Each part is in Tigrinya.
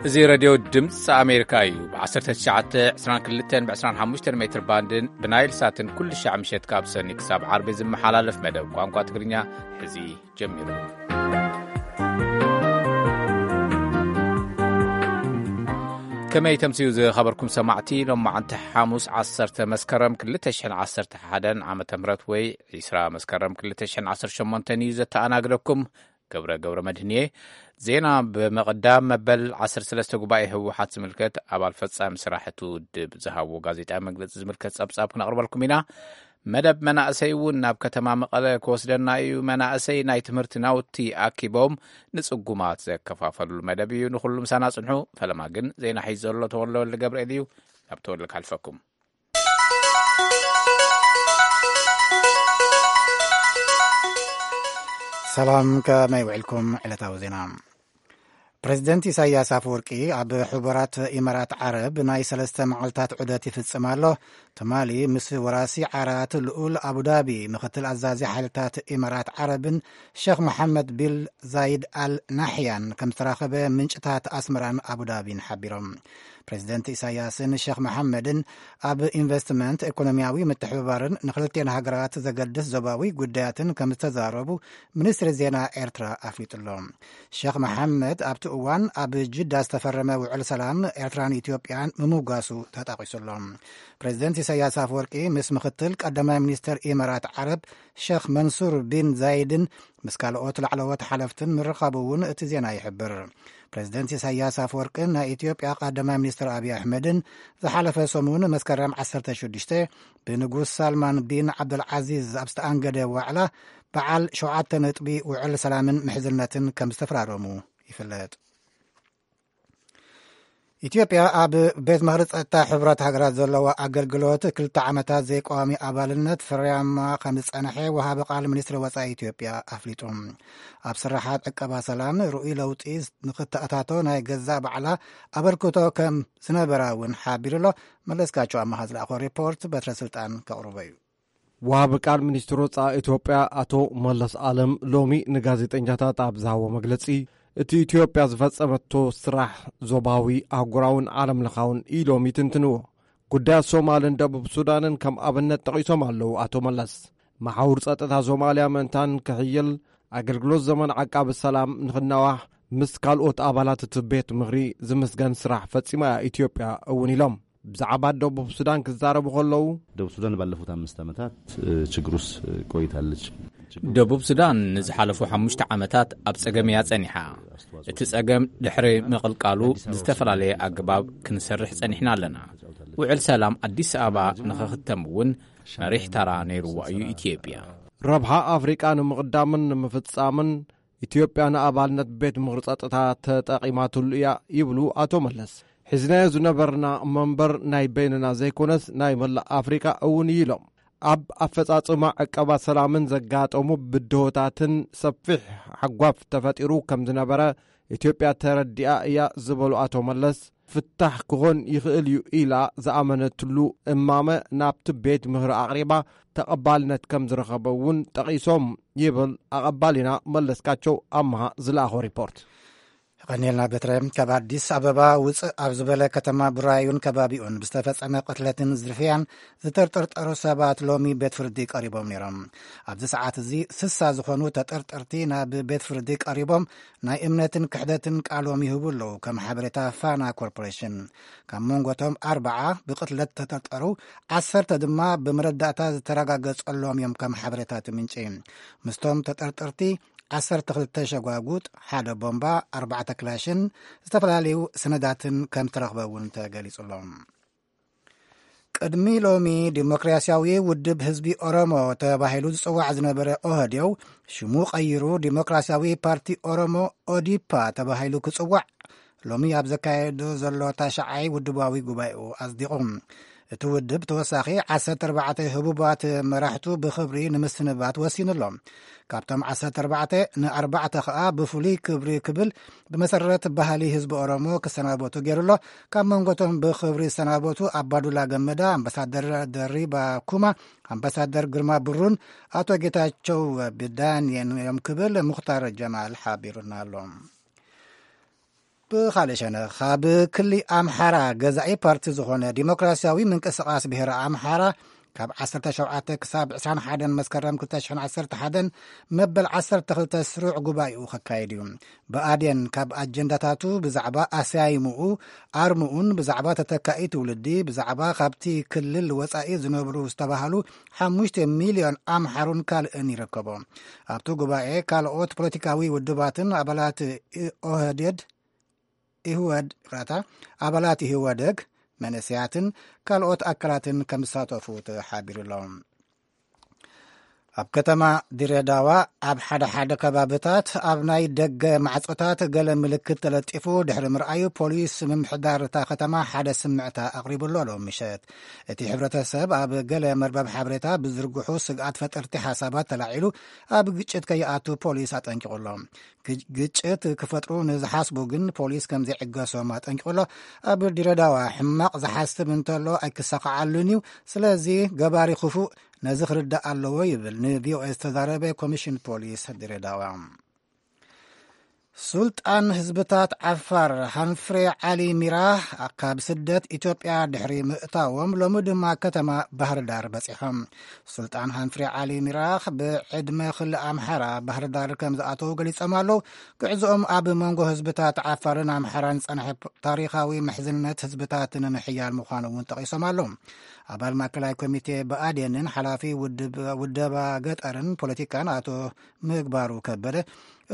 እዚ ሬድዮ ድምፂ ኣሜሪካ እዩ። ብ1922 ብ25 ሜትር ባንድን ብናይል ሳትን ኩሉ ሻዕ ምሸት ካብ ሰኒ ክሳብ ዓርቢ ዝመሓላለፍ መደብ ቋንቋ ትግርኛ ሕዚ ጀሚሩ። ከመይ ተምስዩ ዝኸበርኩም ሰማዕቲ፣ ሎማዓንቲ ሓሙስ 10 መስከረም 2011 ዓመተ ምህረት ወይ 20 መስከረም 2018 እዩ ዘተኣናግደኩም። ገብረ ገብረ መድህን እየ። ዜና ብምቕዳም፣ መበል 13 ጉባኤ ህወሓት ዝምልከት ኣባል ፈጻሚ ስራሕ እቲ ውድብ ዝሃብዎ ጋዜጣዊ መግለጺ ዝምልከት ጸብጻብ ክነቕርበልኩም ኢና። መደብ መናእሰይ እውን ናብ ከተማ መቐለ ክወስደና እዩ። መናእሰይ ናይ ትምህርቲ ናውቲ ኣኪቦም ንጽጉማት ዘከፋፈሉሉ መደብ እዩ። ንኹሉ ምሳና ጽንሑ። ፈለማ ግን ዜና ሒዙ ዘሎ ተወልደ ወልደ ገብርኤል እዩ። ናብ ተወልደ ካልፈኩም። ሰላም፣ ከመይ ውዕልኩም? ዕለታዊ ዜና። ፕሬዚደንት ኢሳያስ ኣፈወርቂ ኣብ ሕቡራት ኢማራት ዓረብ ናይ ሰለስተ መዓልታት ዑደት ይፍጽም ኣሎ። ትማሊ ምስ ወራሲ ዓራት ልኡል ኣቡዳቢ ምኽትል ኣዛዚ ሓይልታት ኢማራት ዓረብን ሸኽ መሓመድ ቢል ዛይድ ኣል ናሕያን ከም ዝተራኸበ ምንጭታት ኣስመራን ኣቡዳቢን ሓቢሮም። ፕሬዚደንት ኢሳያስን ሸኽ መሓመድን ኣብ ኢንቨስትመንት፣ ኢኮኖሚያዊ ምትሕብባርን ንክልቲኤን ሃገራት ዘገድስ ዞባዊ ጉዳያትን ከም ዝተዛረቡ ሚኒስትሪ ዜና ኤርትራ ኣፍሊጡ ኣሎ። ሸኽ መሓመድ ኣብቲ እዋን ኣብ ጅዳ ዝተፈረመ ውዕል ሰላም ኤርትራን ኢትዮጵያን ምምጓሱ ተጠቒሱ ኣሎ። ፕሬዚደንት ኢሳያስ ኣፈወርቂ ምስ ምኽትል ቀዳማይ ሚኒስትር ኢማራት ዓረብ ሸኽ መንሱር ቢን ዛይድን ምስ ካልኦት ላዕለዎት ሓለፍትን ምርኻቡ እውን እቲ ዜና ይሕብር። ፕሬዚደንት ኢሳያስ ኣፈወርቅን ናይ ኢትዮጵያ ቀዳማይ ሚኒስትር ኣብይ ኣሕመድን ዝሓለፈ ሰሙን መስከረም 16 ብንጉስ ሳልማን ቢን ዓብደልዓዚዝ ኣብ ዝተኣንገደ ዋዕላ በዓል ሸውዓተ ነጥቢ ውዕል ሰላምን ምሕዝነትን ከም ዝተፈራረሙ ይፍለጥ። ኢትዮጵያ ኣብ ቤት ምኽሪ ጸጥታ ሕቡራት ሃገራት ዘለዋ ኣገልግሎት ክልተ ዓመታት ዘይቀዋሚ ኣባልነት ፍርያማ ከም ዝጸንሐ ወሃቢ ቃል ሚኒስትሪ ወጻኢ ኢትዮጵያ ኣፍሊጡ። ኣብ ስራሓት ዕቀባ ሰላም ርኡይ ለውጢ ንክተኣታቶ ናይ ገዛእ ባዕላ ኣበርክቶ ከም ዝነበራ እውን ሓቢሩ ኣሎ። መለስካቸው ኣመሃ ዝለኣኾ ሪፖርት በትረ ስልጣን ከቕርቦ እዩ። ወሃቢ ቃል ሚኒስትር ወጻኢ ኢትዮጵያ ኣቶ መለስ ኣለም ሎሚ ንጋዜጠኛታት ኣብ ዝሃቦ መግለጺ፣ እቲ ኢትዮጵያ ዝፈጸመቶ ስራሕ ዞባዊ፣ ኣህጉራውን ዓለም ለኻውን ኢሎም ይትንትንዎ። ጉዳያት ሶማልን ደቡብ ሱዳንን ከም ኣብነት ጠቒሶም ኣለዉ ኣቶ መለስ። መሓውር ጸጥታ ሶማልያ ምእንታን ክሕይል፣ ኣገልግሎት ዘመን ዓቃቢ ሰላም ንኽናዋሕ፣ ምስ ካልኦት ኣባላት እቲ ቤት ምኽሪ ዝምስገን ስራሕ ፈጺማ እያ ኢትዮጵያ እውን ኢሎም። ብዛዕባ ደቡብ ሱዳን ክዛረቡ ከለዉ፣ ደቡብ ሱዳን ባለፉት አምስት ዓመታት፣ እ፣ ችግር ውስጥ ቆይታለች። ደቡብ ሱዳን ንዝሓለፉ ሓሙሽተ ዓመታት ኣብ ጸገም እያ ጸኒሓ። እቲ ጸገም ድሕሪ ምቕልቃሉ ብዝተፈላለየ ኣገባብ ክንሰርሕ ጸኒሕና ኣለና። ውዕል ሰላም ኣዲስ ኣበባ ንኽኽተም እውን መሪሕ ተራ ነይርዋ እዩ ኢትዮጵያ። ረብሓ ኣፍሪቃ ንምቕዳምን ንምፍጻምን ኢትዮጵያ ንኣባልነት ቤት ምኽሪ ጸጥታ ተጠቒማትሉ እያ ይብሉ ኣቶ መለስ። ሒዝናዮ ዝነበርና መንበር ናይ በይንና ዘይኮነስ ናይ መላእ ኣፍሪቃ እውን እዩ ኢሎም። ኣብ ኣፈጻጽማ ዕቀባ ሰላምን ዘጋጠሙ ብድሆታትን ሰፊሕ ሓጓፍ ተፈጢሩ ከም ዝነበረ ኢትዮጵያ ተረዲኣ እያ ዝበሉ ኣቶ መለስ፣ ፍታሕ ክኾን ይኽእል እዩ ኢላ ዝኣመነትሉ እማመ ናብቲ ቤት ምኽሪ ኣቕሪባ ተቐባልነት ከም ዝረኸበ እውን ጠቒሶም ይብል ኣቐባሊና መለስካቸው ኣምሃ ዝለኣኾ ሪፖርት። ቀኒልና በትረ። ካብ ኣዲስ ኣበባ ውፅእ ኣብ ዝበለ ከተማ ቡራዩን ከባቢኡን ብዝተፈጸመ ቅትለትን ዝርፍያን ዝተጠርጠሩ ሰባት ሎሚ ቤት ፍርዲ ቀሪቦም ነይሮም። ኣብዚ ሰዓት እዚ ስሳ ዝኾኑ ተጠርጠርቲ ናብ ቤት ፍርዲ ቀሪቦም ናይ እምነትን ክሕደትን ቃሎም ይህቡ ኣለዉ፣ ከም ሓበሬታ ፋና ኮርፖሬሽን። ካብ መንጎቶም ኣርባዓ ብቅትለት ተጠርጠሩ፣ ዓሰርተ ድማ ብመረዳእታ ዝተረጋገጸሎም እዮም፣ ከም ሓበሬታ እቲ ምንጪ። ምስቶም ተጠርጠርቲ ዓሰርተ ክልተ ሸጓጉጥ፣ ሓደ ቦምባ፣ ኣርባዕተ ክላሽን ዝተፈላለዩ ሰነዳትን ከም ዝተረኽበ እውን ተገሊጹ ኣሎ። ቅድሚ ሎሚ ዲሞክራሲያዊ ውድብ ህዝቢ ኦሮሞ ተባሂሉ ዝጽዋዕ ዝነበረ ኦህዴው ሽሙ ቀይሩ ዲሞክራሲያዊ ፓርቲ ኦሮሞ ኦዲፓ ተባሂሉ ክጽዋዕ ሎሚ ኣብ ዘካየዶ ዘሎ ታሽዓይ ውድባዊ ጉባኤኡ ኣጽዲቑ። እቲ ውድብ ተወሳኺ ዓሰርተ ኣርባዕተ ህቡባት መራሕቱ ብኽብሪ ንምስንባት ወሲኑ ኣሎ። ካብቶም ዓሰርተ ኣርባዕተ ንኣርባዕተ ከኣ ብፍሉይ ክብሪ ክብል ብመሰረት ባህሊ ህዝቢ ኦሮሞ ክሰናበቱ ገይሩ ኣሎ። ካብ መንጎቶም ብኽብሪ ዝሰናበቱ ኣባዱላ ገመዳ፣ ኣምባሳደር ደሪባ ኩማ፣ ኣምባሳደር ግርማ ብሩን ኣቶ ጌታቸው ብዳንየን እዮም ክብል ሙኽታር ጀማል ሓቢሩና ኣሎ። ብኻልእ ሸነኽ፣ ኣብ ክሊ ኣምሓራ ገዛኢ ፓርቲ ዝኾነ ዲሞክራሲያዊ ምንቅስቓስ ብሄረ ኣምሓራ ካብ ዓሰርተ ሸውዓተ ክሳብ ዕስራን ሓደን መስከረም ክልተ ሽሕን ዓሰርተ ሓደን መበል ዓሰርተ ክልተ ስሩዕ ጉባኤኡ ከካይድ እዩ። ብኣዴን ካብ ኣጀንዳታቱ ብዛዕባ ኣሰያይምኡ፣ ኣርምኡን ብዛዕባ ተተካኢ ትውልዲ፣ ብዛዕባ ካብቲ ክልል ወጻኢ ዝነብሩ ዝተባህሉ ሓሙሽተ ሚልዮን ኣምሓሩን ካልእን ይርከቦ። ኣብቲ ጉባኤ ካልኦት ፖለቲካዊ ውድባትን ኣባላት ኦህዴድ ኢህወድ ይቕረታ፣ ኣባላት ኢህወደግ፣ መንእሰያትን ካልኦት ኣካላትን ከም ዝሳተፉ ተሓቢሩ ኣሎ። ኣብ ከተማ ድሬዳዋ ኣብ ሓደ ሓደ ከባብታት ኣብ ናይ ደገ ማዕጾታት ገለ ምልክት ተለጢፉ ድሕሪ ምርኣዩ፣ ፖሊስ ምምሕዳር እታ ከተማ ሓደ ስምዕታ ኣቕሪቡ ኣሎ ሎም ምሸት። እቲ ሕብረተሰብ ኣብ ገለ መርበብ ሓበሬታ ብዝርግሑ ስግኣት ፈጠርቲ ሓሳባት ተላዒሉ ኣብ ግጭት ከይኣቱ ፖሊስ ኣጠንቂቑ ኣሎ። ግጭት ክፈጥሩ ንዝሓስቡ ግን ፖሊስ ከም ዘይዕገሶም ኣጠንቂቑ ኣሎ። ኣብ ድሬዳዋ ሕማቕ ዝሓስብ እንተሎ ኣይክሳኻዓሉን እዩ። ስለዚ ገባሪ ክፉእ ነዚ ክርዳእ ኣለዎ ይብል ንቪኦኤ ዝተዛረበ ኮሚሽን ፖሊስ ድሬዳዋ። ሱልጣን ህዝብታት ዓፋር ሃንፍሬ ዓሊ ሚራ ካብ ስደት ኢትዮጵያ ድሕሪ ምእታዎም ሎሚ ድማ ከተማ ባህርዳር በጺሖም። ሱልጣን ሃንፍሬ ዓሊ ሚራ ብዕድመ ክልእ ኣምሓራ ባህርዳር ከም ዝኣተዉ ገሊጾም ኣለዉ። ጉዕዞኦም ኣብ መንጎ ህዝብታት ዓፋርን ኣምሓራን ዝጸንሐ ታሪኻዊ ምሕዝነት ህዝብታት ንምሕያል ምዃኑ እውን ጠቒሶም ኣለዉ። ኣባል ማእከላይ ኮሚቴ ብኣዴንን ሓላፊ ውድብ-፣ ውደባ ገጠርን ፖለቲካን ኣቶ ምግባሩ ከበደ፣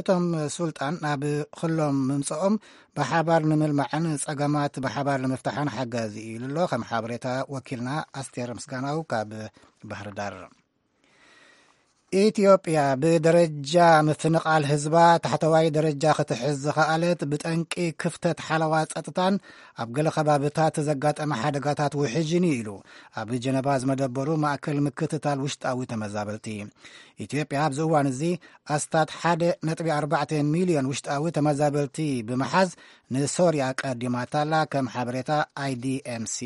እቶም ሱልጣን ናብ ክሎም ምምጽኦም ብሓባር ንምልማዕን ጸገማት ብሓባር ንምፍታሕን ሓጋዚ እዩ ኢሉ ኣሎ። ከም ሓበሬታ ወኪልና ኣስቴር ምስጋናው ካብ ባህር ዳር። ኢትዮጵያ ብደረጃ ምፍንቓል ህዝባ ታሕተዋይ ደረጃ ክትሕዝ ዝኸኣለት ብጠንቂ ክፍተት ሓለዋ ጸጥታን ኣብ ገለ ከባብታት ዘጋጠመ ሓደጋታት ውሕጅን እዩ ኢሉ ኣብ ጀነቫ ዝመደበሩ ማእከል ምክትታል ውሽጣዊ ተመዛበልቲ። ኢትዮጵያ ኣብዚ እዋን እዚ ኣስታት ሓደ ነጥቢ ኣርባዕተ ሚልዮን ውሽጣዊ ተመዛበልቲ ብምሓዝ ንሶርያ ቀዲማታላ፣ ከም ሓበሬታ ኣይዲኤምሲ።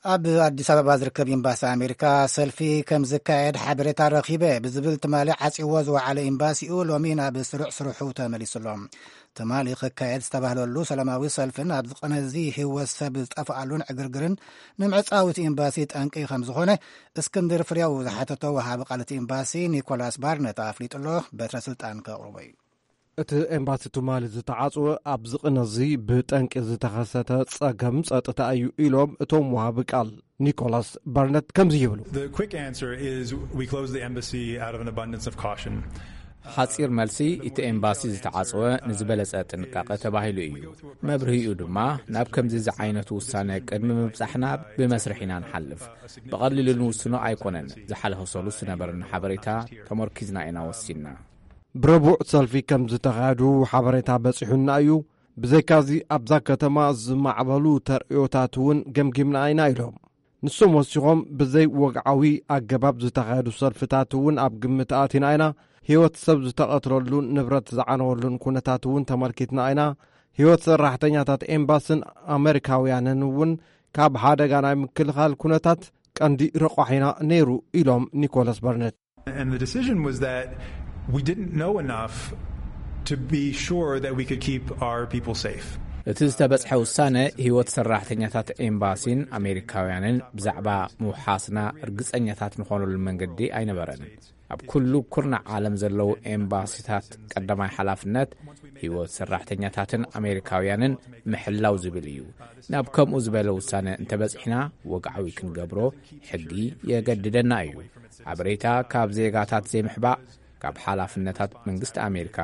ኣብ ኣዲስ ኣበባ ዝርከብ ኤምባሲ ኣሜሪካ ሰልፊ ከም ዝካየድ ሓበሬታ ረኺበ ብዝብል ትማሊ ዓጽይዎ ዝወዓለ ኤምባሲኡ ሎሚ ናብ ስሩዕ ስርሑ ተመሊሱ ኣሎ። ትማሊ ክካየድ ዝተባህለሉ ሰላማዊ ሰልፍን ኣብዚ ቅነ እዚ ህይወት ሰብ ዝጠፍኣሉን ዕግርግርን ንምዕጻው እቲ ኤምባሲ ጠንቂ ከም ዝኾነ እስክንድር ፍሬው ዝሓተቶ ወሃቢ ቃል እቲ ኤምባሲ ኒኮላስ ባርነት ኣፍሊጡ ኣሎ። በትረ ስልጣን ከቕርቦ እዩ። እቲ ኤምባሲ ትማሊ ዝተዓጽወ ኣብዚ ቅነ እዚ ብጠንቂ ዝተኸሰተ ጸገም ጸጥታ እዩ ኢሎም እቶም ወሃቢ ቃል ኒኮላስ ባርነት ከምዚ ይብሉ። The quick answer is we closed the embassy out of an abundance of caution. ሓጺር መልሲ፣ እቲ ኤምባሲ ዝተዓጽወ ንዝበለጸ ጥንቃቐ ተባሂሉ እዩ። መብርሂኡ ድማ ናብ ከምዚ ዝዓይነቱ ውሳነ ቅድሚ ምብጻሕና ብመስርሕ ኢና ንሓልፍ። ብቐሊሉ ንውስኖ ኣይኮነን። ዝሓለፈ ሰሉስ ዝነበረና ሓበሬታ ተመርኪዝና ኢና ወሲንና። ብረቡዕ ሰልፊ ከም ዝተኻየዱ ሓበሬታ በጺሑና እዩ። ብዘይካዚ ኣብዛ ከተማ ዝማዕበሉ ተርእዮታት እውን ገምጊምና ኢና ኢሎም። ንሶም ወሲኾም ብዘይ ወግዓዊ ኣገባብ ዝተኻየዱ ሰልፍታት እውን ኣብ ግምት ኣቲና ኢና። ህይወት ሰብ ዝተቐትለሉን ንብረት ዝዓነወሉን ኩነታት እውን ተመልኪትና ኢና። ህይወት ሰራሕተኛታት ኤምባስን ኣመሪካውያንን እውን ካብ ሓደጋ ናይ ምክልኻል ኩነታት ቀንዲ ረቋሒና ነይሩ ኢሎም ኒኮላስ በርነት። And the decision was that we didn't know enough to be sure that we could keep our people safe. እቲ ዝተበጽሐ ውሳነ ህይወት ሰራሕተኛታት ኤምባሲን ኣሜሪካውያንን ብዛዕባ ምውሓስና ርግጸኛታት ንኾነሉ መንገዲ ኣይነበረን። ኣብ ኩሉ ኩርናዕ ዓለም ዘለዉ ኤምባሲታት ቀዳማይ ሓላፍነት ህይወት ሰራሕተኛታትን ኣሜሪካውያንን ምሕላው ዝብል እዩ። ናብ ከምኡ ዝበለ ውሳነ እንተበጺሕና ወግዓዊ ክንገብሮ ሕጊ የገድደና እዩ። ሓበሬታ ካብ ዜጋታት ዘይምሕባእ ካብ ሓላፍነታት መንግስቲ ኣሜሪካ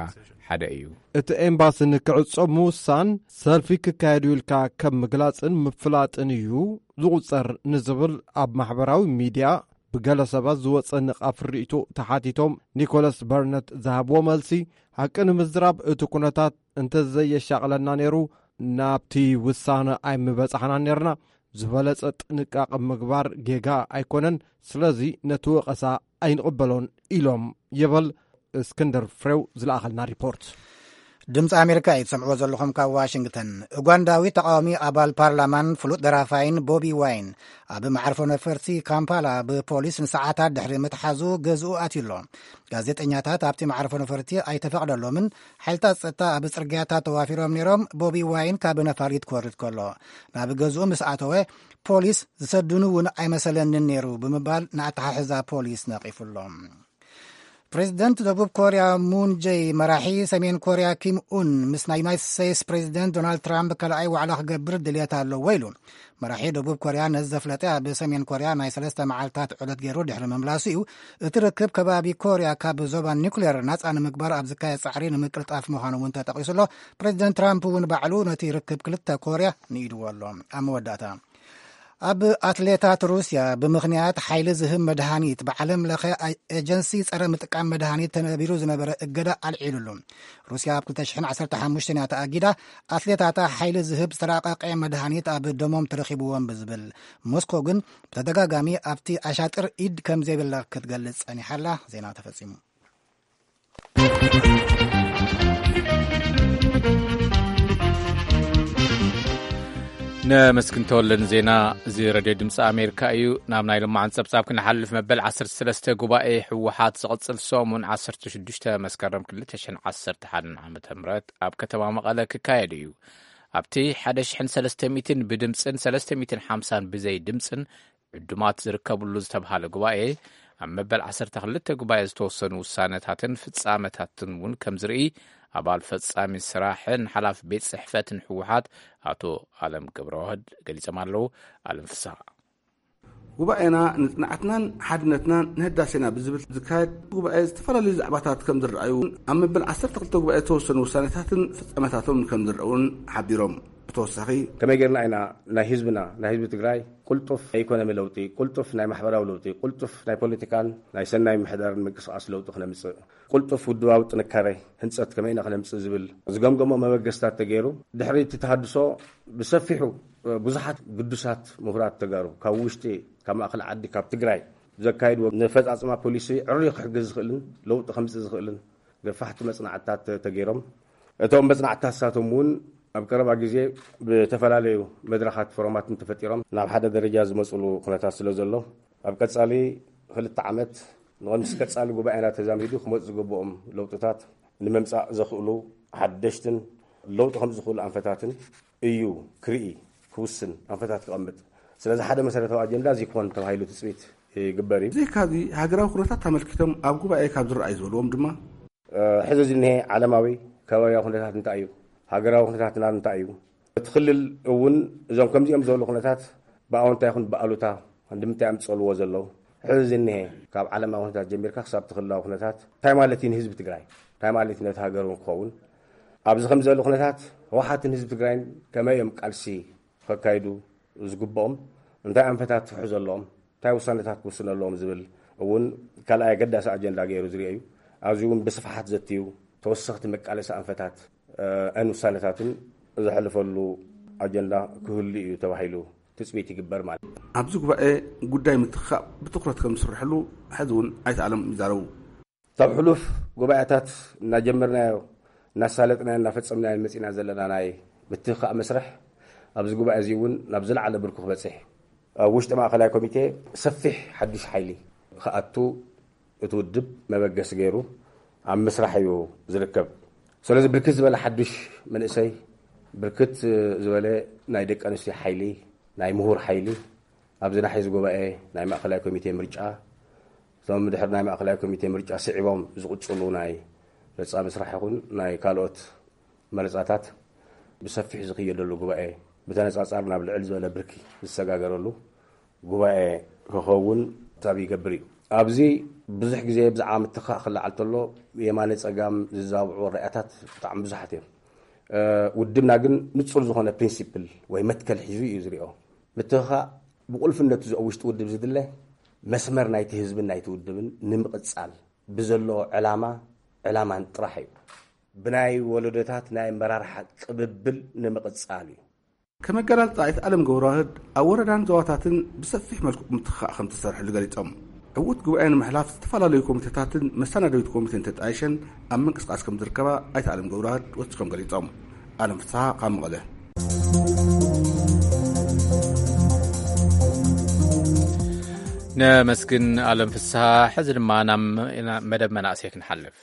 ሓደ እዩ። እቲ ኤምባሲ ንክዕጾ ምውሳን ሰልፊ ክካየዱ ኢልካ ከም ምግላጽን ምፍላጥን እዩ ዝቑጸር ንዝብል ኣብ ማሕበራዊ ሚድያ ብገለ ሰባት ዝወጸ ንቓፍ ርእይቶ ተሓቲቶም ኒኮላስ በርነት ዝሃብዎ መልሲ፣ ሓቂ ንምዝራብ እቲ ኩነታት እንተዘየሻቕለና ነይሩ ናብቲ ውሳነ ኣይምበጻሕናን ነርና። ዝበለጸ ጥንቃቐ ምግባር ጌጋ ኣይኮነን። ስለዚ ነቲ ወቐሳ ኣይንቕበሎን ኢሎም ይብል እስክንድር ፍሬው ዝለኣኸልና ሪፖርት። ድምፂ ኣሜሪካ እዩ ትሰምዕዎ ዘለኹም ካብ ዋሽንግተን። ኡጋንዳዊ ተቃዋሚ ኣባል ፓርላማን ፍሉጥ ደራፋይን ቦቢ ዋይን ኣብ መዓርፎ ነፈርቲ ካምፓላ ብፖሊስ ንሰዓታት ድሕሪ ምትሓዙ ገዝኡ ኣትዩ ኣሎ። ጋዜጠኛታት ኣብቲ መዓርፎ ነፈርቲ ኣይተፈቕደሎምን። ሓይልታት ጸጥታ ኣብ ጽርግያታት ተዋፊሮም ነይሮም። ቦቢ ዋይን ካብ ነፋሪት ክወርድ ከሎ ናብ ገዝኡ ምስ ኣተወ ፖሊስ ዝሰድኑ እውን ኣይመሰለንን ነይሩ ብምባል ንኣተሓሕዛ ፖሊስ ነቒፉ ኣሎ። ፕሬዚደንት ደቡብ ኮርያ ሙን ጀይ መራሒ ሰሜን ኮርያ ኪም ኡን ምስ ናይ ዩናይትድ ስቴትስ ፕሬዚደንት ዶናልድ ትራምፕ ካልኣይ ዋዕላ ክገብር ድልየት ኣለዎ ኢሉ። መራሒ ደቡብ ኮርያ ነዚ ዘፍለጠ ኣብ ሰሜን ኮርያ ናይ ሰለስተ መዓልታት ዑደት ገይሩ ድሕሪ ምምላሱ እዩ። እቲ ርክብ ከባቢ ኮርያ ካብ ዞባ ኒኩሌር ናፃ ንምግባር ኣብ ዝካየድ ፃዕሪ ንምቅልጣፍ ምዃኑ እውን ተጠቒሱ ኣሎ። ፕሬዚደንት ትራምፕ እውን ባዕሉ ነቲ ርክብ ክልተ ኮርያ ንኢድዎ ኣሎ። ኣብ መወዳእታ ኣብ ኣትሌታት ሩስያ ብምኽንያት ሓይሊ ዝህብ መድሃኒት ብዓለም ለኸ ኤጀንሲ ጸረ ምጥቃም መድሃኒት ተነቢሩ ዝነበረ እገዳ ኣልዒሉሉ። ሩስያ ኣብ ክልተ ሽሕን ዓሰርተ ሓሙሽተን እያ ተኣጊዳ። ኣትሌታታ ሓይሊ ዝህብ ዝተራቐቐ መድሃኒት ኣብ ደሞም ተረኺብዎም ብዝብል፣ ሞስኮ ግን ብተደጋጋሚ ኣብቲ ኣሻጥር ኢድ ከም ዘይብላ ክትገልጽ ጸኒሓላ። ዜና ተፈጺሙ። ነመስግን ተወልደ ንዜና። እዚ ረድዮ ድምፂ ኣሜሪካ እዩ። ናብ ናይ ልማዓን ፀብፃብ ክንሓልፍ፣ መበል ዓሰርተ ሰለስተ ጉባኤ ህወሓት ዝቕፅል ሰሙን ዓሰርተ ሽዱሽተ መስከረም ክልተ ሽሕን ዓሰርተ ሓደን ዓመተ ምህረት ኣብ ከተማ መቐለ ክካየድ እዩ። ኣብቲ ሓደ ሽሕን ሰለስተ ሚእትን ብድምፅን ሰለስተ ሚእትን ሓምሳን ብዘይ ድምፅን ዕዱማት ዝርከብሉ ዝተብሃለ ጉባኤ፣ ኣብ መበል ዓሰርተ ክልተ ጉባኤ ዝተወሰኑ ውሳነታትን ፍጻመታትን እውን ከም ዝርኢ ኣባል ፈጻሚ ስራሕን ሓላፊ ቤት ጽሕፈትን ህወሓት ኣቶ ኣለም ገብረዋህድ ገሊጾም ኣለዉ። ኣለም ፍስሃ። ጉባኤና ንጽንዓትናን ሓድነትናን ንህዳሴና ብዝብል ዝካየድ ጉባኤ ዝተፈላለዩ ዛዕባታት ከም ዝረኣዩ፣ ኣብ መበል ዓሰርተ ክልተ ጉባኤ ዝተወሰኑ ውሳነታትን ፍጻመታቶም ከም ዝረኣውን ሓቢሮም። ብተወሳኺ፣ ከመይ ጌርና ኢና ናይ ህዝብና፣ ናይ ህዝቢ ትግራይ ቅልጡፍ ናይ ኢኮኖሚ ለውጢ፣ ቅልጡፍ ናይ ማሕበራዊ ለውጢ፣ ቅልጡፍ ናይ ፖለቲካን ናይ ሰናይ ምሕዳርን ምንቅስቃስ ለውጢ ክነምጽእ፣ ቅልጡፍ ውድባዊ ጥንካሬ ህንጸት ከመይ ኢና ክነምጽእ ዝብል ዝገምገሞ መበገስታት ተገይሩ፣ ድሕሪ እቲ ተሃድሶ ብሰፊሑ ብዙሓት ግዱሳት ምሁራት ተጋሩ ካብ ውሽጢ፣ ካብ ማእከል ዓዲ፣ ካብ ትግራይ ዘካይድዎ ነፈጻጽማ ፖሊሲ ዕርዩ ክሕግዝ ዝኽእልን ለውጢ ከምጽእ ዝኽእልን ገፋሕቲ መጽናዕትታት ተገይሮም። እቶም መጽናዕትታት ንሳቶም እውን ኣብ ቀረባ ግዜ ብተፈላለዩ መድረኻት ፎረማትን ተፈጢሮም ናብ ሓደ ደረጃ ዝመጽሉ ኩነታት ስለ ዘሎ፣ ኣብ ቀጻሊ ክልተ ዓመት ንቐንስ ቀጻሊ ጉባኤና ተዛሚዱ ክመጹ ዝግብኦም ለውጥታት ንምምጻእ ዘኽእሉ ሓደሽትን ለውጢ ከም ዝኽእሉ ኣንፈታትን እዩ ክርኢ፣ ክውስን፣ ኣንፈታት ክቐምጥ። ስለዚ ሓደ መሰረታዊ ኣጀንዳ እዚ ክኾን ተባሂሉ ትጽቢት ይግበር እዩ። ብዘይካዚ፣ ሃገራዊ ኩነታት ኣመልኪቶም ኣብ ጉባኤ ካብ ዝረኣዩ ዝበልዎም ድማ፣ እ፣ ሕዚ ዝኒሀ ዓለማዊ ከባቢያዊ ኩነታት እንታይ እዩ? ሃገራዊ ኩነታትና እንታይ እዩ? እቲ ክልል እውን እዞም ከምዚኦም ዝበሉ ኩነታት ብኣወንታ ይኹን ብኣሉታ ንምንታይ ኣምፅእልዎ ዘለዉ? ሕዚ ዝኒሀ ካብ ዓለማዊ ኩነታት ጀሚርካ ክሳብ እቲ ክልላዊ ኩነታት እንታይ ማለት እዩ ንህዝቢ ትግራይ? እንታይ ማለት እዩ ነቲ ሃገር እውን ክኸውን? ኣብዚ ከምዚ ዘሎ ኩነታት ህወሓትን ህዝቢ ትግራይን ከመይ እዮም ቃልሲ ከካይዱ ዝግብኦም? እንታይ ኣንፈታት ክሕዙ ኣለዎም? እንታይ ውሳነታት ክውስኑ ኣለዎም ዝብል እውን ካልኣይ ኣገዳሲ ኣጀንዳ ገይሩ ዝርኦ እዩ። ኣብዚ እውን ብስፍሓት ዘትዩ ተወሰኽቲ መቃለሲ ኣንፈታት፣ እ፣ ን ውሳነታትን ዘሕልፈሉ ኣጀንዳ ክህሉ እዩ ተባሂሉ ትፅቢት ይግበር ማለት እዩ። ኣብዚ ጉባኤ ጉዳይ ምትኻእ ብትኹረት ከም ዝስርሐሉ ሕዚ እውን ኣይተ ኣለም ይዛረቡ። ካብ ሕሉፍ ጉባኤታት እናጀመርናዮ፣ እናሳለጥናዮ፣ እናፈጸምናዮ መጺና ዘለና ናይ ምትኻእ መስርሕ ኣብዚ ጉባኤ እዚ እውን ናብ ዝለዓለ ብርኩ ክበጽሕ፣ ኣብ ውሽጢ ማእከላይ ኮሚቴ ሰፊሕ ሓድሽ ሓይሊ ክኣቱ እቲ ውድብ መበገሲ ገይሩ ኣብ ምስራሕ እዩ ዝርከብ። ስለዚ ብርክት ዝበለ ሓድሽ መንእሰይ፣ ብርክት ዝበለ ናይ ደቂ ኣንስትዮ ሓይሊ፣ ናይ ምሁር ሓይሊ ኣብዚ ናሕዚ ጉባኤ ናይ ማእከላይ ኮሚቴ ምርጫ፣ እቶም ድሕሪ ናይ ማእከላይ ኮሚቴ ምርጫ ስዒቦም ዝቕጽሉ ናይ ፈጻሚ ስራሕ ይኹን ናይ ካልኦት መረጻታት ብሰፊሕ ዝኽየደሉ ጉባኤ፣ ብተነጻጻሪ ናብ ልዕል ዝበለ ብርኪ ዝሰጋገረሉ ጉባኤ ክኸውን ታብ ይገብር እዩ። ኣብዚ ብዙሕ ግዜ ብዛዕባ ምትኻእ ክለዓል ተሎ የማነ ጸጋም ዝዛብዑ ራእያታት ብጣዕሚ ብዙሓት እዮም። እ፣ ውድብና ግን ንጹር ዝኾነ ፕሪንሲፕል ወይ መትከል ሒዙ እዩ ዝሪኦ። ምትኻእ ብቁልፍነቱ ኣብ ውሽጢ ውድብ ዝድለ መስመር ናይቲ ህዝብን ናይቲ ውድብን ንምቕጻል ብዘሎ ዕላማ፣ ዕላማን ጥራሕ እዩ። ብናይ ወለዶታት ናይ ኣመራርሓ ቅብብል ንምቕጻል እዩ። ከመገላልጻ ኣይተ ኣለም ገብረዋህድ ኣብ ወረዳን ዞባታትን ብሰፊሕ መልክዑ ምትኻእ ከም ተሰርሐሉ ገሊጾም። ዕዉት ጉባኤ ንምሕላፍ ዝተፈላለዩ ኮሚቴታትን መሰናደዊት ኮሚቴን ተጣይሸን ኣብ ምንቅስቃስ ከም ዝርከባ ኣይተ ኣለም ገብረዋህድ ወሲኾም ገሊጾም። ኣለም ፍስሓ ካብ መቐለ። ነመስግን ኣለም ፍስሓ። ሕዚ ድማ ናብ መደብ መናእሰይ ክንሓልፍ።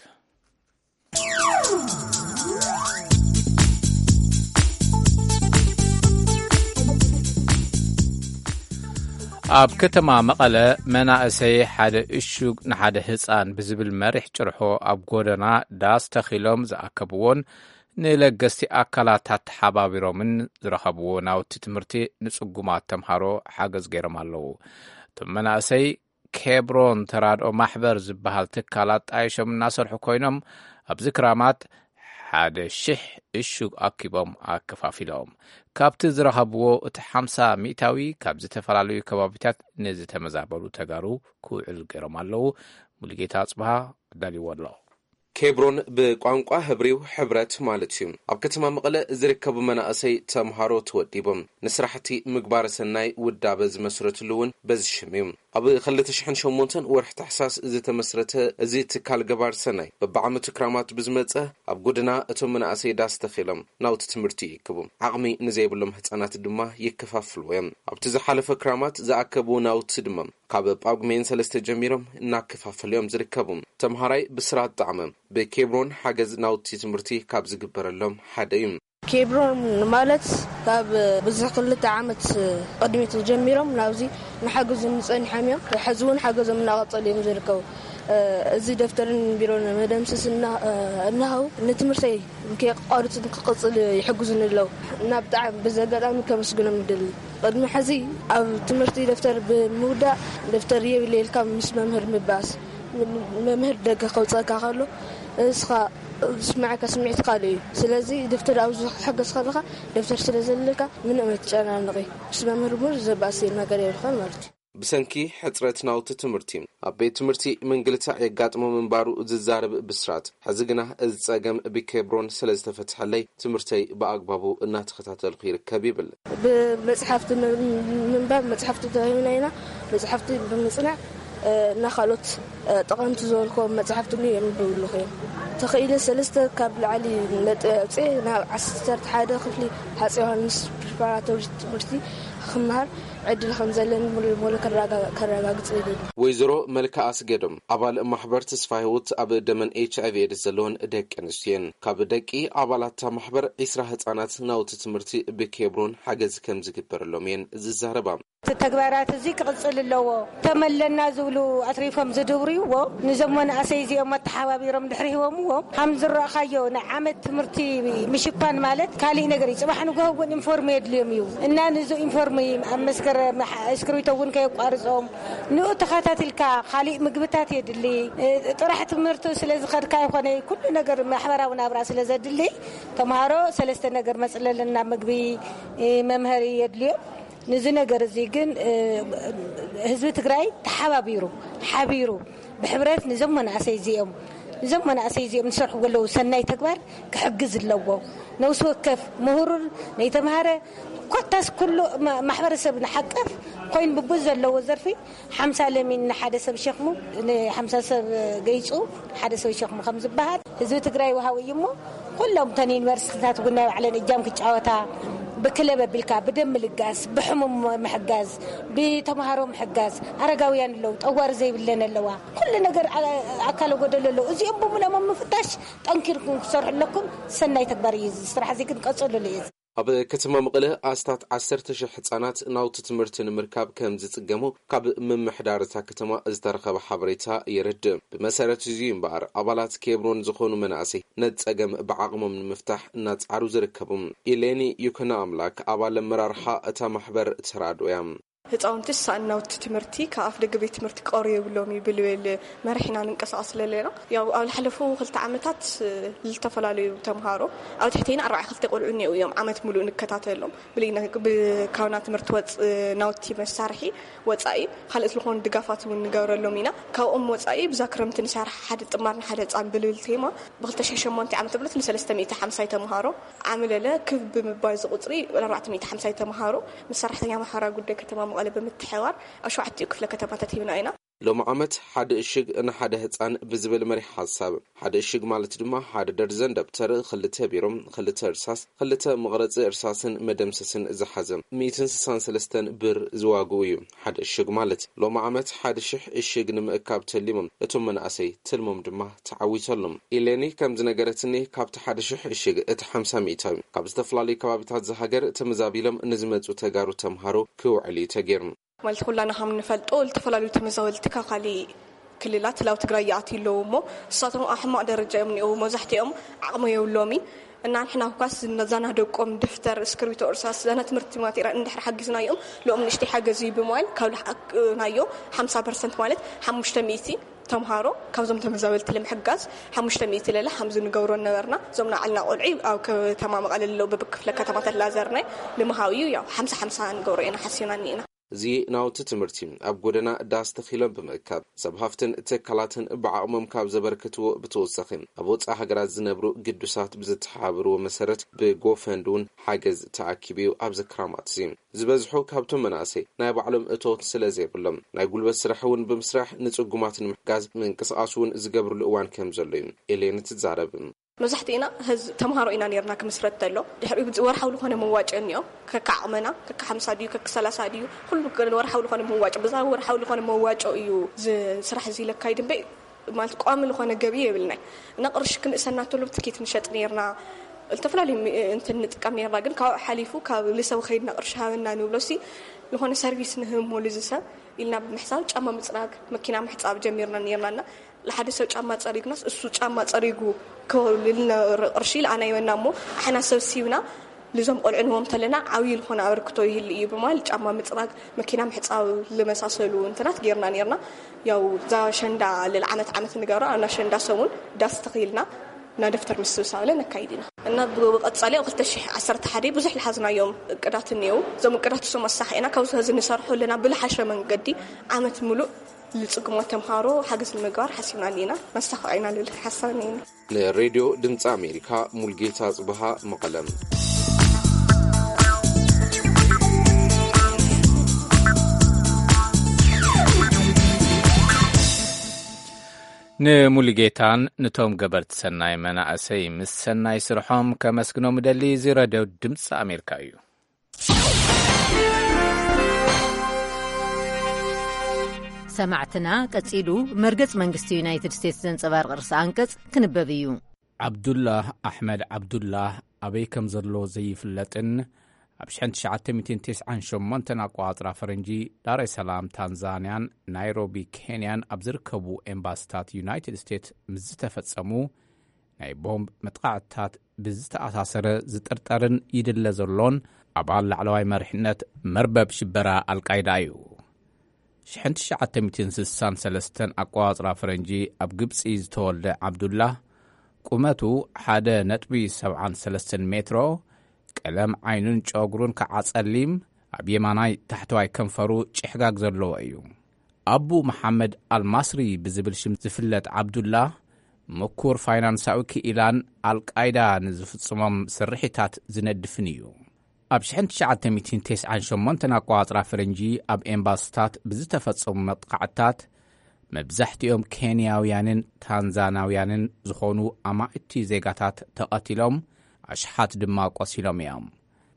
ኣብ ከተማ መቐለ መናእሰይ ሓደ እሹግ ንሓደ ህፃን ብዝብል መሪሕ ጭርሖ ኣብ ጎደና ዳስ ተኺሎም ዝኣከብዎን ንለገስቲ ኣካላት ኣተሓባቢሮምን ዝረኸብዎ ናውቲ ትምህርቲ ንፅጉማት ተምሃሮ ሓገዝ ገይሮም ኣለዉ። እቶም መናእሰይ ኬብሮን ተራድኦ ማሕበር ዝበሃል ትካል ኣጣይሾም እናሰርሑ ኮይኖም፣ ኣብዚ ክራማት ሓደ ሽሕ እሹግ ኣኪቦም ኣከፋፊሎም። ካብቲ ዝረኸብዎ እቲ ሓምሳ ሚእታዊ ካብ ዝተፈላለዩ ከባቢታት ንዝተመዛበሉ ተጋሩ ክውዕል ገይሮም ኣለዉ። ሙሉጌታ ኣጽብሃ ኣዳልይዎ ኣሎ። ኬብሮን ብቋንቋ ህብሪው ሕብረት ማለት እዩ። ኣብ ከተማ መቐለ ዝርከቡ መናእሰይ ተምሃሮ ተወዲቦም ንስራሕቲ ምግባረ ሰናይ ውዳበ ዝመስረትሉ እውን በዚ ሽም እዩ። ኣብ ክልተ ሽሕን ሸሞንተን ወርሒ ታሕሳስ ዝተመስረተ እዚ ትካል ገባር ሰናይ በብዓመቱ ክራማት ብዝመጸ ኣብ ጎደና እቶም መናእሰይ ዳስ ተኺሎም ናውቲ ትምህርቲ ይእክቡ። ዓቕሚ ንዘይብሎም ህጻናት ድማ ይከፋፍልዎ እዮም። ኣብቲ ዝሓለፈ ክራማት ዝኣከብዎ ናውቲ ድማ ካብ ጳጉሜን ሰለስተ ጀሚሮም እናከፋፈሉ እዮም ዝርከቡ። ተምሃራይ ብስራት ጣዕመ ብኬብሮን ሓገዝ ናውቲ ትምህርቲ ካብ ዝግበረሎም ሓደ እዩ። ኬብሮን ማለት ካብ ብዙሕ ክልተ ዓመት ቅድሚት ጀሚሮም ናብዚ ንሓግዞም ጸኒሖም እዮም። ሕዚ እውን ሓገዞም እናቐጸሉ እዮም ዝርከቡ። እዚ ደፍተርን ቢሮን መደምሰስ እና-፣ እናሃው ንትምህርተይ ከየቋርጽ ክቕጽል ይሕግዙኒ ኣለዉ። እና ብጣዕሚ በዚ ኣጋጣሚ ከመስግኖም ይደሊ። ቅድሚ ሕዚ ኣብ ትምህርቲ ደፍተር ብምውዳእ ደፍተር የብለ ኢልካ ምስ መምህር ምባስ፣ መምህር ደገ ከውጸካ ከሎ እስኻ ዝስምዓካ ስምዒት ካልእ እዩ። ስለዚ ደፍተር ኣብ ዝሕገዝ ከለኻ ደፍተር ስለ ዘለካ ምንም ኣይትጨናነቒ። ምስ መምህር እውን ዘባእስ ነገር የብልኻን ማለት እዩ። ብሰንኪ ሕጽረት ናውቲ ትምህርቲ ኣብ ቤት ትምህርቲ ምንግልታዕ የጋጥሞ ምንባሩ ዝዛረብ ብስራት፣ ሕዚ ግና እዚ ጸገም ብኬብሮን ስለ ዝተፈትሐለይ ትምህርተይ ብኣግባቡ እናተኸታተልኩ ይርከብ ይብል። ብመጽሓፍቲ ም-፣ ምንባብ መጽሓፍቲ ተዋሂብና ኢና። መጽሓፍቲ ብምጽናዕ፣ እ፣ እና ካልኦት፣ እ፣ ጠቐምቲ ዝበልክዎም መጽሓፍቲ እውን የንብብልኹ እዮም። ተኽኢለ ሰለስተ ካብ ላዕሊ ነጥቢ ኣውፅኤ ናብ ዓሰርተ ሓደ ክፍሊ ሃፀይ ዮሃንስ ፕሪፓራቶሪ ትምህርቲ ክመሃር ዕድል ከም ዘለኒ ሙሉ ለሙሉ ከረጋ-፣ ከረጋግፅ ይደሊ። ወይዘሮ መልክኣ ኣስገዶም ኣባል ማሕበር ተስፋ ህይወት ኣብ ደመን ኤች ኣይ ቪ ኤድስ ዘለወን ደቂ ኣንስትዮ እየን። ካብ ደቂ ኣባላት እታ ማሕበር ዒስራ ህፃናት ናውቲ ትምህርቲ ብኬብሮን ሓገዝ ከም ዝግበረሎም እየን ዝዛረባ። እቲ ተግባራት እዚ ክቕፅል ኣለዎ። ተመለና ዝብሉ ኣትሪፎም ዝድብርይዎ፣ ንዞም መናእሰይ እዚኦም ኣተሓባቢሮም ድሕሪ ሂቦምዎ፣ ከም ዝረእኻዮ ናይ ዓመት ትምህርቲ ምሽፋን ማለት ካሊእ ነገር እዩ። ጽባሕ ንግሆ እውን ኢንፎርም የድልዮም እዩ። እና ንዚ ኢንፎርም ኣብ መስከረም ሓ-፣ እስክሪብቶ እውን ከየቋርጾም፣ ንኡ ተኸታቲልካ ካሊእ ምግብታት የድሊ። እ፣ ጥራሕ ትምህርቲ ስለ ዝኸድካ ይኾነ፣ ኩሉ ነገር ማሕበራዊ ናብራ ስለ ዘድሊ፣ ተምሃሮ ሰለስተ ነገር መጽለልና፣ ምግቢ፣ እ፣ መምሃሪ የድልዮም። ንዚ ነገር እዚ ግን፣ እ፣ ህዝቢ ትግራይ ተሓባቢሩ፣ ሓቢሩ፣ ብሕብረት ንዞም መናእሰይ እዚኦም፣ ንዞም መናእሰይ እዚኦም ዝሰርሕዎ ዘለዉ ሰናይ ተግባር ክሕግዝ ኣለዎ። ነብሲ ወከፍ ምሁር፣ ነይተምሃረ፣ ኮታስ ኩሉ ማ-፣ ማሕበረሰብ ንሓቀፍ ኮይኑ ብብዙ ዘለዎ ዘርፊ ሓምሳ ለሚን ንሓደ ሰብ ሸኽሙ፣ ንሓምሳ ሰብ ገይጹ ሓደ ሰብ ሸኽሙ ከም ዝበሃል ህዝቢ ትግራይ ወሃዊ እዩ እሞ፣ ኩሎም እተን ዩኒቨርሲቲታት እውን ናይ ባዕለን እጃም ክጫወታ፣ ብክለብ ኣቢልካ፣ ብደም ምልጋስ፣ ብሕሙም ምሕጋዝ፣ ብተምሃሮ ምሕጋዝ፣ ኣረጋውያን ኣለዉ፣ ጠዋሪ ዘይብለን ኣለዋ፣ ኩሉ ነገር ኣ-፣ ኣካለ ጎደሎ ኣለዉ። እዚኦም ብምሎም ኣብ ምፍታሽ ጠንኪርኩም ክሰርሑ ኣለኩም። ሰናይ ተግባር እዩ። እዚ ስራሕ እዚ ግን ቀጽሉሉ እዩ። ኣብ ከተማ መቐለ ኣስታት ዓሰርተ ሽሕ ህጻናት ናውቲ ትምህርቲ ንምርካብ ከም ዝጽገሙ ካብ ምምሕዳር እታ ከተማ ዝተረኸበ ሓበሬታ የረድእ። ብመሰረት እዚ እምበኣር፣ ኣባላት ኬብሮን ዝኾኑ መናእሰይ ነቲ ጸገም ብዓቕሞም ንምፍታሕ እናጻዕሩ ዝርከቡ። ኢሌኒ ይኩኖ ኣምላክ ኣባል ኣመራርሓ እታ ማሕበር ተራድኦ እያ። ህጻውንቲ ዝሰኣን ናውቲ ትምህርቲ ካብ ኣፍ ደገ ቤት ትምህርቲ ክቐርቡ የብሎም እዩ ብልብል መሪሕና ንንቀሳቐስ ዘለና። ያው ኣብ ዝሓለፉ ክልተ ዓመታት፣ እ፣ ዝተፈላለዩ ተምሃሮ ኣብ ትሕቴና ኣርባዓ ክልተ ቆልዑ እኒአው እዮም ዓመት ሙሉእ ንከታተሎም። ብልኢና ብ-፣ ካብና ትምህርቲ ወፅ-፣ ናውቲ መሳርሒ ወፃኢ ካልኦት ዝኾኑ ድጋፋት እውን ንገብረሎም ኢና። ካብኦም ወፃኢ ብዛ ክረምቲ ንሰርሕ ሓደ ጥማር ንሓደ ህፃን ብልብል ቴማ ብክልተ ሽሕን ሸሞንተን ዓመተ ምህረት ንሰለስተ ሚእቲ ሓምሳይ ተምሃሮ ዓምለለ ክብ ብምባል እዚ ቁፅሪ ኣርባዕተ ሚእቲ ሓምሳይ ተምሃሮ ምስ ሰራሕተኛ ማሕበራዊ ጉዳይ ከተማ መቐለ ብምትሕባር ኣብ ሸውዓቲኡ ክፍለ ከተማታት ሂብና ኢና። ሎሚ ዓመት ሓደ እሽግ ንሓደ ህፃን ብዝብል መሪሕ ሓሳብ፣ ሓደ እሽግ ማለት ድማ ሓደ ደርዘን ደብተር፣ ክልተ ቢሮ፣ ክልተ እርሳስ፣ ክልተ መቕረፂ እርሳስን መደምሰስን ዝሓዘ፣ ሚእትን ስሳን ሰለስተን ብር ዝዋግኡ እዩ። ሓደ እሽግ ማለት። ሎሚ ዓመት ሓደ ሽሕ እሽግ ንምእካብ ተሊሞም እቶም መናእሰይ፣ ትልሞም ድማ ተዓዊተሎም። ኢሌኒ ከም ዝነገረትኒ፣ ካብቲ ሓደ ሽሕ እሽግ እቲ ሓምሳ ሚእታዊ ካብ ዝተፈላለዩ ከባቢታት ዝሃገር ተመዛቢሎም ንዝመፁ ተጋሩ ተምሃሮ ክውዕል እዩ ተገይሩ። ማለት ኩላና ከም ንፈልጦ፣ ዝተፈላለዩ ተመዛበልቲ ካብ ካሊእ ክልላት ላው ትግራይ ይኣትዩ ኣለዉ እሞ፣ ንሳቶም ኣብ ሕማቕ ደረጃ እዮም እኒአው። መብዛሕትኦም ዓቕሚ የብሎምን። እና ንሕና እኳስ ነዛና ደቆም ደፍተር፣ እስክርቢቶ፣ እርሳስ፣ ዘና ትምህርቲ ማቴሪያል እንድሕር ሓጊዝናዮም፣ ልኦም ንእሽተይ ሓገዝ እዩ ብምባል፣ ካብ ልሓቅናዮ ሓምሳ ፐርሰንት ማለት ሓሙሽተ ሚእቲ ተምሃሮ ካብዞም ተመዛበልቲ ንምሕጋዝ ሓሙሽተ ሚእቲ ለለ ሓምዚ ንገብሮ ነበርና። እዞም ንዓልና ቆልዑ ኣብ ከተማ መቐለ ለለዉ በብክፍለ ከተማ ተላዘርናይ ንምሃብ እዩ። ያው ሓምሳ ሓምሳ ንገብሮ ኢና ሓሲብና እኒእና። እዚ ናውቲ ትምህርቲ ኣብ ጎደና ዳስ ተኺሎም ብምእካብ፣ ሰብ ሃፍትን ትካላትን ብዓቕሞም ካብ ዘበርክትዎ ብተወሳኺ፣ ኣብ ወጻኢ ሃገራት ዝነብሩ ግዱሳት ብዝተሓባበርዎ መሰረት ብጎፈንድ እውን ሓገዝ ተኣኪቡ እዩ። ኣብዚ ክራማት እዚ ዝበዝሑ ካብቶም መናእሰይ ናይ ባዕሎም እቶት ስለ ዘይብሎም፣ ናይ ጉልበት ስራሕ እውን ብምስራሕ ንጽጉማት ንምሕጋዝ ምንቅስቓስ እውን ዝገብርሉ እዋን ከም ዘሎ እዩ ኤሌን ትዛረብ። መብዛሕትእና ህዝ-፣ ተምሃሮ ኢና ነርና ክምስረት ተሎ። ድሕሪኡ ወርሓዊ ዝኾነ መዋጮ እኒኦ። ከካ ዓቕመና፣ ከካ ሓምሳ ድዩ፣ ከካ ሰላሳ ድዩ፣ ኩሉ ወርሓዊ ዝኾነ መዋጮ፣ ብዛ ወርሓዊ ዝኾነ መዋጮ እዩ ዝ-፣ ስራሕ እዚ ለካይድ እምበይ፣ ማለት ቋሚ ዝኾነ ገቢ የብልናይ። እና ቅርሺ ክንእሰና ተሎ ትኬት ንሸጥ ነርና፣ ዝተፈላለዩ ሚ-፣ እንትን ንጥቀም ነርና። ግን ካብኡ ሓሊፉ ካብ ልሰብ ኸይድና ቅርሺ ሃበና ንብሎ ሲ፣ ዝኾነ ሰርቪስ ንህብ ሞሉ ዝሰብ ኢልና ብምሕሳብ ጫማ ምጽራግ፣ መኪና ምሕጻብ ጀሚርና ነርና። እና ንሓደ ሰብ ጫማ ጸሪግናስ፣ እሱ ጫማ ጸሪጉ ክህልልና ቅርሺ ኢልኣና ይወና እሞ፣ ኣሕና ሰብ ሲብና ልዞም ቆልዑ ንህቦም ተለና፣ ዓብዪ ልኾነ ኣበርክቶ ይህል እዩ ብምባል፣ ጫማ ምጽራግ፣ መኪና ምሕጻብ ልመሳሰሉ እንትናት ጌርና ኔርና። ያው፣ እዛ ሸንዳ ልል ዓመት ዓመት ንገብራ፣ እና ሸንዳ ሰሙን ዳስ ተኺልና፣ እና ደፍተር ምስብሳብ ለ ነካይድ ኢና። እና ብቐጻሊ ኣብ ክልተ ሽሕ ዓሰርተ ሓደ ብዙሕ ልሓዝናዮም እቅዳት እኒአው። እዞም እቅዳት እሶም ኣሳኺዕና፣ ካብዚ ኸዚ ንሰርሖ ኣለና ብልሓሸ መንገዲ፣ ዓመት ምሉእ ልጽጉማት ተምሃሮ ሓገዝ ንምግባር ሓሲብና እኒና፣ ነሳኽዖ ኢና ልብል ሓሳብ እኒና። ንሬድዮ ድምፂ ኣሜሪካ፣ ሙልጌታ ጽብሃ፣ መቐለም። ንሙሉጌታን ንቶም ገበርቲ ሰናይ መናእሰይ ምስ ሰናይ ስርሖም ከመስግኖም እደሊ። እዚ ረድዮ ድምፂ ኣሜሪካ እዩ። ሰማዕትና፣ ቀጺሉ መርገጽ መንግስቲ ዩናይትድ ስቴትስ ዘንጸባርቕ ርእሰ ኣንቀጽ ክንበብ እዩ። ዓብዱላህ ኣሕመድ ዓብዱላህ ኣበይ ከም ዘሎ ዘይፍለጥን ኣብ ሽሕን ትሽዓተ ሚእትን ተስዓን ሸሞንተን ኣቋጽራ ፈረንጂ ዳሬ ሰላም ታንዛንያን ናይሮቢ ኬንያን ኣብ ዝርከቡ ኤምባሲታት ዩናይትድ ስቴትስ ምስ ዝተፈጸሙ ናይ ቦምብ መጥቓዕትታት ብዝተኣሳሰረ ዝጥርጠርን ይድለ ዘሎን ኣባል ላዕለዋይ መሪሕነት መርበብ ሽበራ ኣልቃይዳ እዩ። ሽሕን ትሽዓተ ሚእትን ስሳን ሰለስተን ኣቋጽራ ፈረንጂ ኣብ ግብጺ ዝተወልደ ዓብዱላህ፣ ቁመቱ ሓደ ነጥቢ ሰብዓን ሰለስተን ሜትሮ፣ ቀለም ዓይኑን ጨጉሩን ከዓ ጸሊም፣ ኣብ የማናይ ታሕተዋይ ከንፈሩ ጭሕጋግ ዘለዎ እዩ። ኣቡ መሓመድ ኣልማስሪ ብዝብል ሽም ዝፍለጥ ዓብዱላህ፣ ምኩር ፋይናንሳዊ ክኢላን ኣልቃይዳ ንዝፍጽሞም ስርሒታት ዝነድፍን እዩ። ኣብ ሽሕን ትሽዓተ ሚእትን ተስዓን ሸሞንተን ኣቋጽራ ፈረንጂ ኣብ ኤምባስታት ብዝተፈጸሙ መጥቃዕትታት መብዛሕትኦም ኬንያውያንን ታንዛናውያንን ዝኾኑ ኣማእቲ ዜጋታት ተቐቲሎም፣ ኣሽሓት ድማ ቆሲሎም እዮም።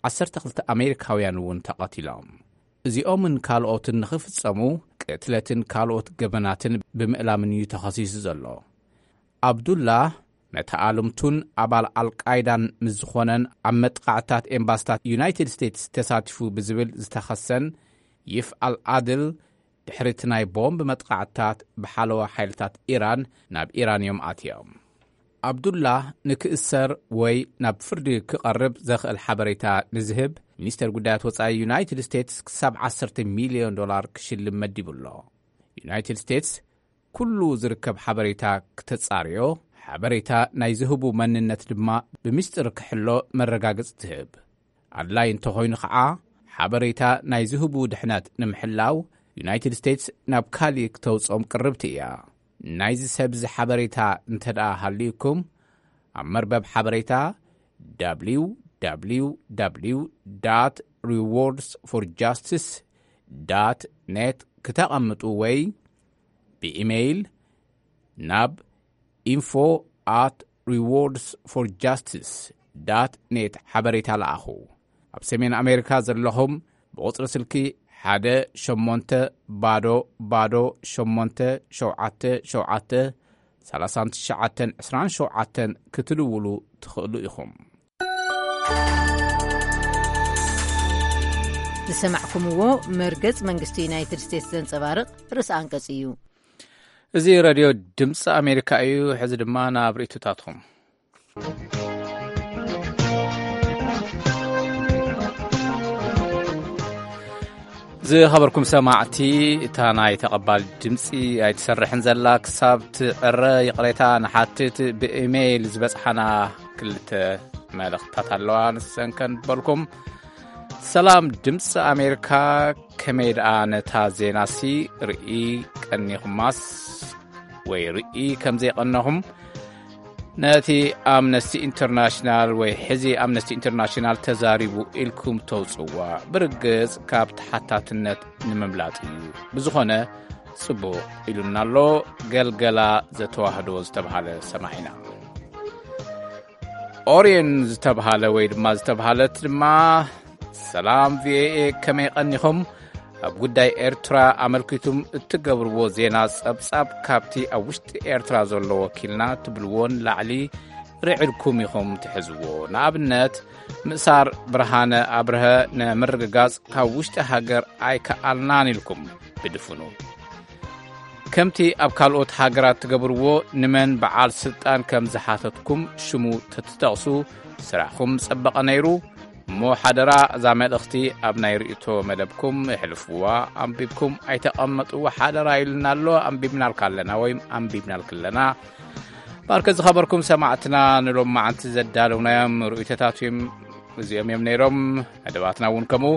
ዓሰርተ ክልተ ኣሜሪካውያን እውን ተቐቲሎም። እዚኦምን ካልኦትን ንኽፍጸሙ ቅትለትን ካልኦት ገበናትን ብምእላምን እዩ ተኸሲሱ ዘሎ። ዓብዱላህ መተኣልምቱን ኣባል ኣልቃይዳን ምስ ዝኾነን ኣብ መጥቃዕትታት ኤምባስታት ዩናይትድ ስቴትስ ተሳቲፉ ብዝብል ዝተኸሰን ይፍ ኣልዓድል ድሕሪ እቲ ናይ ቦምብ መጥቃዕትታት ብሓለዋ ሓይልታት ኢራን ናብ ኢራን እዮም ኣትዮም። ዓብዱላህ ንክእሰር ወይ ናብ ፍርዲ ክቐርብ ዘኽእል ሓበሬታ ንዝህብ ሚኒስተር ጉዳያት ወጻኢ ዩናይትድ ስቴትስ ክሳብ ዓሰርተ ሚልዮን ዶላር ክሽልም መዲቡ ኣሎ። ዩናይትድ ስቴትስ ኩሉ ዝርከብ ሓበሬታ ክተጻርዮ፣ ሓበሬታ ናይ ዝህቡ መንነት ድማ ብምስጢር ክሕሎ መረጋገጺ ትህብ። ኣድላይ እንተኾይኑ ኸዓ፣ ሓበሬታ ናይ ዝህቡ ድሕነት ንምሕላው ዩናይትድ ስቴትስ ናብ ካሊእ ክተውጽኦም ቅርብቲ እያ። ናይዚ ሰብ እዚ ሓበሬታ እንተ ደኣ ሃልዩኩም፣ ኣብ መርበብ ሓበሬታ www rewards for justice net ክተቐምጡ ወይ ብኢሜይል ናብ info at rewards for justice dot net ሓበሬታ ለኣኹ። ኣብ ሰሜን ኣሜሪካ ዘለኹም ብቑጽሪ ስልኪ ሓደ ሸሞንተ ባዶ ባዶ ሸሞንተ ሸውዓተ ሸውዓተ ሰላሳን ትሽዓተን ዕስራን ሸውዓተን ክትድውሉ ትኽእሉ ኢኹም። ዝሰማዕኩምዎ መርገጽ መንግስቲ ዩናይትድ ስቴትስ ዘንጸባርቕ ርእሰ ኣንቀጽ እዩ። እዚ ሬድዮ ድምፂ ኣሜሪካ እዩ። ሕዚ ድማ ናብ ርእይቶታትኩም። ዝኸበርኩም ሰማዕቲ፣ እታ ናይ ተቐባል ድምፂ ኣይትሰርሕን ዘላ ክሳብ ትዕረ ይቕሬታ ንሓትት። ብኢሜይል ዝበፅሓና ክልተ መልእኽትታት ኣለዋ፣ ንሰን ከንበልኩም። ሰላም ድምፂ ኣሜሪካ፣ ከመይ ደኣ ነታ ዜናሲ ርኢ ቀኒኹማስ ወይ ርኢ ከም ዘይቐነኹም ነቲ ኣምነስቲ ኢንተርናሽናል ወይ ሕዚ ኣምነስቲ ኢንተርናሽናል ተዛሪቡ ኢልኩም ተውፅዋ ብርግፅ ካብ ተሓታትነት ንምምላጥ እዩ። ብዝኾነ ጽቡቕ ኢሉና ኣሎ። ገልገላ ዘተዋህዶ ዝተብሃለ ሰማዒና። ኦርየን ዝተብሃለ ወይ ድማ ዝተብሃለት ድማ፣ ሰላም ቪኦኤ፣ ከመይ ቀኒኹም? ኣብ ጉዳይ ኤርትራ ኣመልኪቱም እትገብርዎ ዜና ጸብጻብ ካብቲ ኣብ ውሽጢ ኤርትራ ዘሎ ወኪልና ትብልዎን ላዕሊ ርዕድኩም ኢኹም ትሕዝዎ። ንኣብነት፣ ምእሳር ብርሃነ ኣብርሀ ንምርግጋጽ ካብ ውሽጢ ሃገር ኣይከኣልናን ኢልኩም ብድፍኑ። ከምቲ ኣብ ካልኦት ሃገራት ትገብርዎ፣ ንመን በዓል ስልጣን ከም ዝሓተትኩም ሽሙ ተትጠቕሱ ስራሕኩም ጸበቐ ነይሩ። እሞ ሓደራ፣ እዛ መልእኽቲ ኣብ ናይ ርእይቶ መደብኩም የሕልፍዋ፣ ኣንቢብኩም ኣይተቐመጥዎ ሓደራ ኢልና ኣሎ። ኣንቢብናልካ ኣለና ወይም ኣንቢብናልክ ኣለና። ባርከ ዝኸበርኩም ሰማዕትና፣ ንሎም መዓንቲ ዘዳለውናዮም ርእይቶታት እዮም፣ እዚኦም እዮም ነይሮም። መደባትና እውን ከምኡ።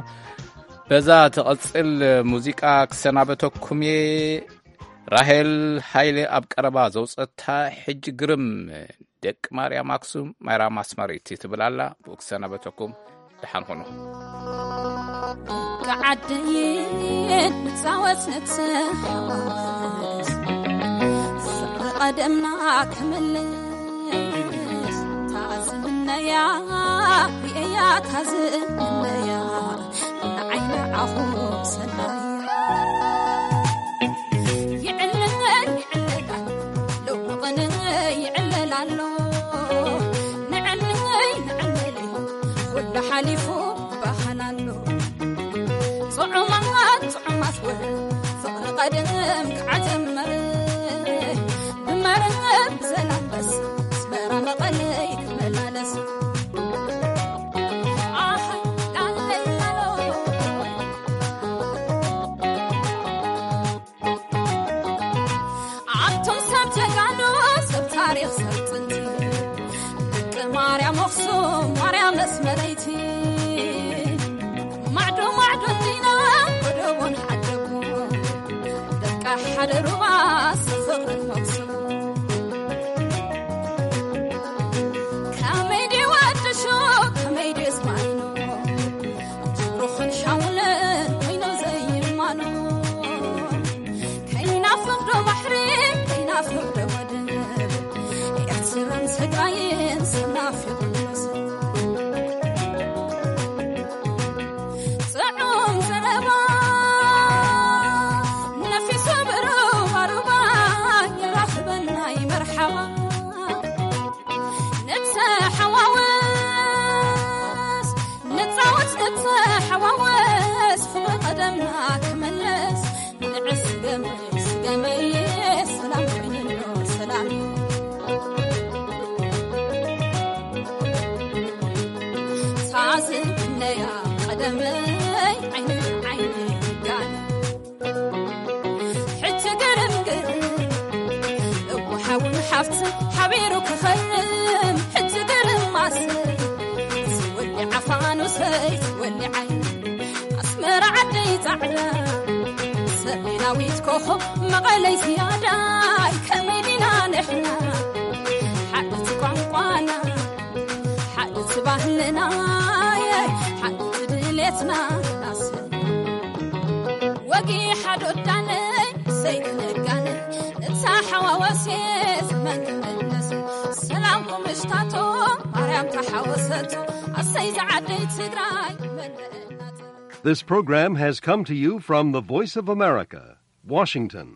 በዛ ትቐጽል ሙዚቃ ክሰናበተኩም እየ። ራሄል ሃይለ ኣብ ቀረባ ዘውጸታ ሕጂ ግርም ደቂ ማርያም ኣክሱም ማይራም ኣስመሪት ትብል ኣላ። ብኡ ክሰናበተኩም፣ ደሓን ኹኑ። ከዓደይን ንጻወት ንትሓወስ፣ ፍቕሪ ቀደምና ክምልስ፣ ታዝምነያ ርእያ ታዝምነያ፣ ንዓይ ንዓኹ ሰናያ። ይዕለል ይዕለል ኣሎ፣ ሎሚ ቅነ ይዕለል ኣሎ፣ ንዕለይ ንዕለይ፣ ኩሉ ሓሊፉ ባህና ኣሎ። ጽዑማት ጽዑማት ወረ፣ ፍቕሪ ቀደም ከዓ ጀመረ። ብመረብ ዘላንበሳ፣ ኣስመራ መቐለይ ክመላለስ። ኣሃ፣ ላለይ ላሎ። ኣቶም ሰብ ጀጋኑ፣ ሰብ ታሪኽ፣ ሰብ ጥንቲ፣ ደቂ ማርያም ኣኽሱም፣ ማርያም ኣስመረይቲ፣ ማዕዶ ማዕዶ እንዲና፣ ጎደቦን ሓደጎ፣ ደቂ ሓደ ሩባ፣ ሰብ ፍቕርን መኽሱም። ከመይ ድዩ ወዲ ሹቕ፣ ከመይ ድዩ ዝማኖ፣ ጅሩኽን ሓውልን ኮይኑ ዘይማኖ። ከይናፍቕ ዶ ባሕሪ፣ ከይናፍቕ ዶ ወደብ፣ ኤርትራን ትግራይን ሰብ ናፊቑ ዘሎ ሰብ። ጽዑም ዘረባ ነፊሱ ብሩባ ሩባ፣ ይራኽበና ይመርሓባ። ንተሓዋወስ፣ ንጻወት፣ ንተሓዋወስ፣ ፍቕሪ ቀደምና ክምለስ። ንዕስ ገመይ፣ ስገመይ፣ ሰላም ኮይንኖ፣ ሰላም። ሳዝን ክነያ ቀደመይ፣ ዓይኒ ዓይኒ ጋን። ሕጂ ግርም ግርም፣ እወ ሓውን ሓፍትን ሓቢሩ ክኸርም። ሕጂ ግርም ማሰ፣ ዝወሊ ዓፋኑሰይ፣ ዝወሊ ዓይኒ። ኣስመራ ዓደይ ጻዕዳ፣ ሰሜናዊት ኮኾብ መቐለይ ዝያዳይ። ከመይ ዲና ንሕና፣ ሓንቲ ቋንቋና፣ ሓንቲ ባህልና፣ ሓንቲ ድሌትና ናስ። ወጊ ሓዶ ዳነይ፣ ሰይድ ነጋነይ፣ ሓዋወሴ ዘመን ትመለስ ሰላም ቁምሽታቶ ማርያም ተሓወሰቶ ኣሰይ ዝዓደይ ትግራይ መለእናት This program has come to you from the Voice of America, Washington.